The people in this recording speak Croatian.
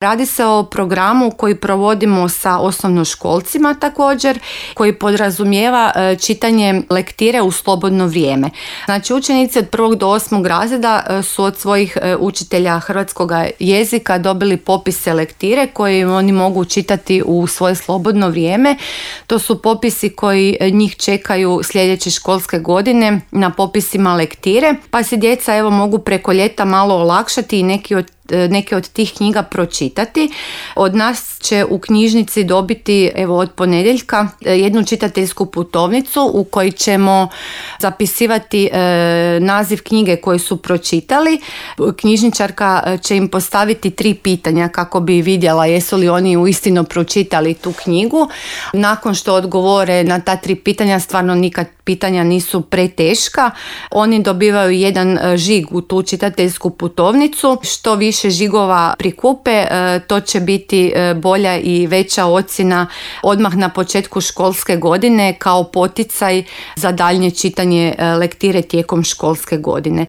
Radi se o programu koji provodimo sa osnovnoškolcima također, koji podrazumijeva čitanje lektire u slobodno vrijeme. Znači, učenici od 1. do 8. razreda su od svojih učitelja hrvatskog jezika dobili popise lektire koje oni mogu čitati u svoje slobodno vrijeme. To su popisi koji njih čekaju sljedeće školske godine na popisima lektire, pa si djeca mogu preko ljeta malo olakšati i neke od tih knjiga pročitati. Od nas će u knjižnici dobiti od ponedjeljka jednu čitateljsku putovnicu u kojoj ćemo zapisivati naziv knjige koju su pročitali. Knjižničarka će im postaviti 3 pitanja kako bi vidjela jesu li oni uistinu pročitali tu knjigu. Nakon što odgovore na ta 3 pitanja, stvarno nikad pitanja nisu preteška, oni dobivaju jedan žig u tu čitateljsku putovnicu. Što više žigova prikupe, to će biti bolja i veća ocjena odmah na početku školske godine kao poticaj za daljnje čitanje lektire tijekom školske godine.